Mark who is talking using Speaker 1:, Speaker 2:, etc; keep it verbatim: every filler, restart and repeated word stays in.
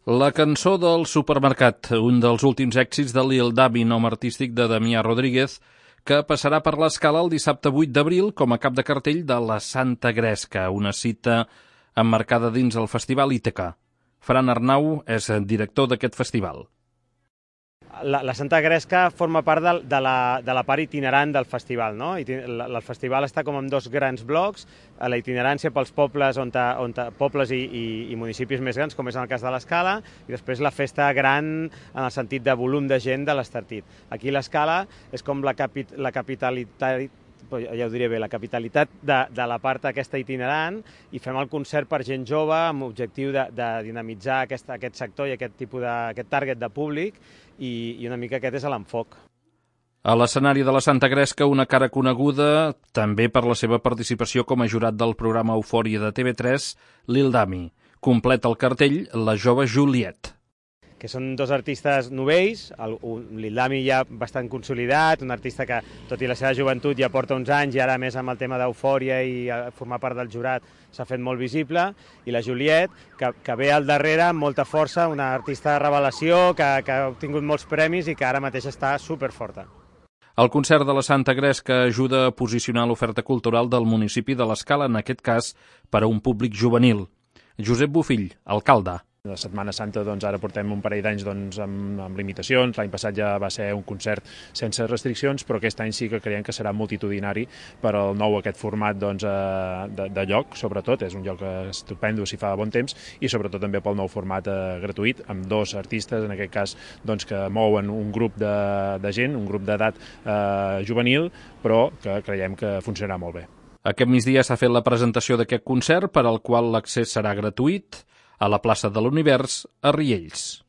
Speaker 1: La cançó del supermercat, un dels últims èxits de Lil Dami, nom artístic de Damià Rodríguez, que passarà per l'Escala el dissabte vuit d'abril com a cap de cartell de la Santa Gresca, una cita emmarcada dins el Festival Ítaca. Fran Arnau és director d'aquest festival.
Speaker 2: La, la Santa Gresca forma part de, de, la, de la part itinerant del festival, no? El, el festival està com en dos grans blocs, la itinerància pels pobles, on ta, on ta, pobles i, i, i municipis més grans, com és en el cas de l'Escala, i després la festa gran en el sentit de volum de gent de l'Estartit. Aquí l'Escala és com la, capi, la capitalitat, ja ho diré bé, la capitalitat de, de la part aquesta itinerant, i fem el concert per gent jove amb l'objectiu de, de dinamitzar aquest, aquest sector i aquest tipus de, aquest target de públic, i, i una mica aquest és l'enfoc.
Speaker 1: A l'escenari de la Santa Gresca, una cara coneguda també per la seva participació com a jurat del programa Eufòria de T V tres, Lil Dami. Completa el cartell la jove Juliet,
Speaker 2: que són dos artistes novells, el, un Lil Dami ja bastant consolidat, un artista que, tot i la seva joventut, ja porta uns anys i ara, a més, amb el tema d'Eufòria i formar part del jurat, s'ha fet molt visible, i la Juliet, que, que ve al darrere amb molta força, una artista de revelació que, que ha obtingut molts premis i que ara mateix està superforta.
Speaker 1: El concert de la Santa Gresca ajuda a posicionar l'oferta cultural del municipi de l'Escala, en aquest cas, per a un públic juvenil. Josep Bofill, alcalde.
Speaker 3: La Setmana Santa, doncs, ara portem un parell d'anys doncs, amb, amb limitacions. L'any passat ja va ser un concert sense restriccions, però aquest any sí que creiem que serà multitudinari per al nou aquest format doncs, de, de lloc, sobretot. És un lloc estupendo si fa bon temps, i sobretot també pel nou format eh, gratuït, amb dos artistes, en aquest cas, doncs, que mouen un grup de, de gent, un grup d'edat eh, juvenil, però que creiem que funcionarà molt bé.
Speaker 1: Aquest migdia s'ha fet la presentació d'aquest concert, per al qual l'accés serà gratuït, a la plaça de l'Univers, a Riells.